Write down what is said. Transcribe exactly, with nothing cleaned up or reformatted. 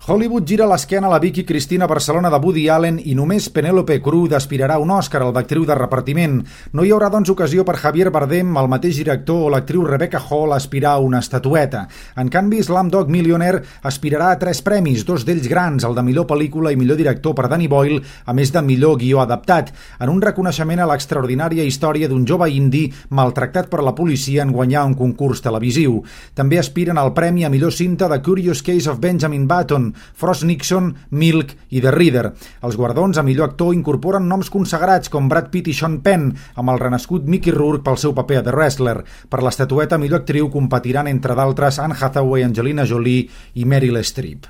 Hollywood gira l'esquena a la Vicky Cristina Barcelona de Woody Allen i només Penélope Cruz aspirarà a un Òscar al d'actriu de repartiment. No hi haurà, doncs, ocasió per Javier Bardem, el mateix director, o l'actriu Rebecca Hall aspirar a una estatueta. En canvi, Slumdog Millionaire aspirarà a tres premis, dos d'ells grans, el de millor pel·lícula i millor director per Danny Boyle, a més de millor guió adaptat, en un reconeixement a l'extraordinària història d'un jove indi maltractat per la policia en guanyar un concurs televisiu. També aspiren al premi a millor cinta The Curious Case of Benjamin Button, Frost Nixon, Milk i The Reader. Els guardons a millor actor incorporen noms consagrats com Brad Pitt i Sean Penn, amb el renascut Mickey Rourke pel seu paper a The Wrestler. Per l'estatueta millor actriu competiran, entre d'altres, Anne Hathaway, Angelina Jolie i Meryl Streep.